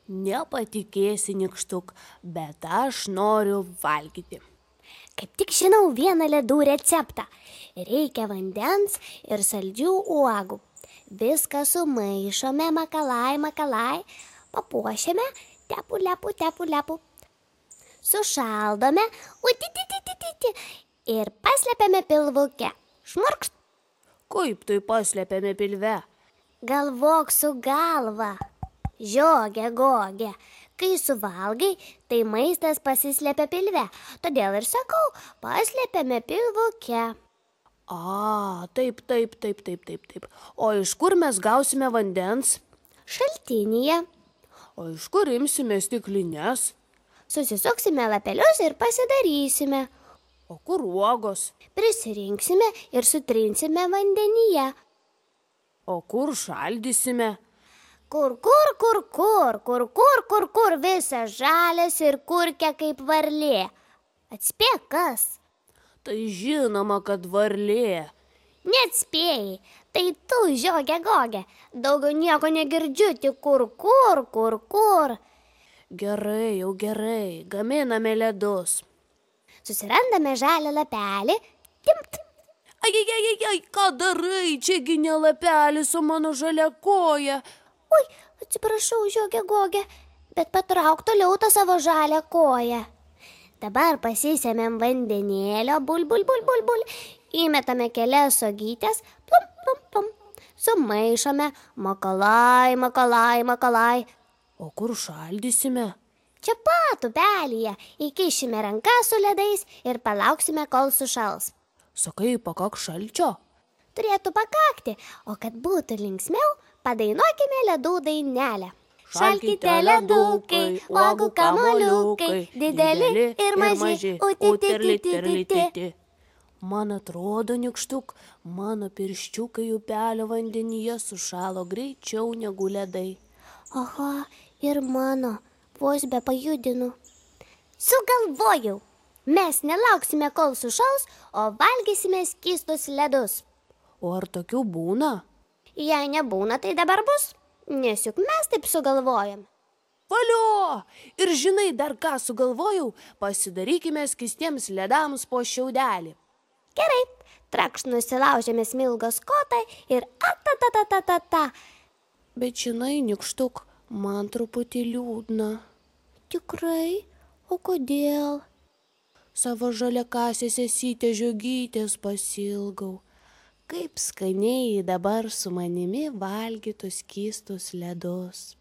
Nepatikėsi, Nykštuk, bet aš noriu valgyti. Kaip tik žinau vieną ledų receptą. Reikia vandens ir saldžių uogų. Viską sumaišome, makalai, papuošiame, tepu, lepu. Sušaldome, ir paslepiame pilvuke. Šmurkšt. Kaip tai paslepiame pilve? Galvok su galva. Žiogė, gogė. Kai suvalgai, tai maistas pasislepia pilve. Todėl ir sakau, paslepiame pilvuke. Taip. O iš kur mes gausime vandens? Šaltinyje. O iš kur imsime stiklines? Susisuksime lapelius ir pasidarysime. O kur uogos? Prisirinksime ir sutrinsime vandenyje. O kur šaldysime? Kur, visas žalias ir kurkia kaip varlė. Atspėk kas? Tai žinoma, kad varlė. Neatspėjai, tai tu, žiogė, gogė. Daugiau nieko negirdžiu, tik kur. Gerai, gaminame ledus. Susirandame žalią lapelį. Timt. Ai, ką darai? Čiagi ne lapelis, o mano žalia koja. Oi, atsiprašau, žiogė, gogė, bet patrauk toliau tą savo žalią koją. Dabar pasisėmėm vandenėlio, bul. Įmetame kelias uogytes, plum. Sumaišome, makalai. O kur šaldysime? Čia pat upelyje įkišime rankas su ledais ir palauksime, kol sušals. Sakai, pakak šalčio? Turėtų pakakti, o kad būtų linksmiau, padainuokime ledų dainelę. Šalkite ledukai, uogų kamuoliukai, dideli ir maži, uti. Man atrodo, Nykštuk, mano pirščiukai upelio vandenyje sušalo greičiau negu ledai. Aha, ir mano, vos be pajudinu. Sugalvojau, mes nelauksime, kol sušals, o valgysime skystus ledus. O ar tokių būna? Jei nebūna, tai dabar bus, nes juk mes taip sugalvojam. Valio! Ir žinai, dar ką sugalvojau, pasidarykime skystiems ledams po šiaudelį. Gerai, trakšt nusilaužėme smilgos kotą ir ta. Bet žinai, Nykštuk, man truputį liūdna. Tikrai? O kodėl? Savo žaliakasės sesytės žiogytės pasilgau. Kaip skaniai dabar su manimi valgytų skystus ledus.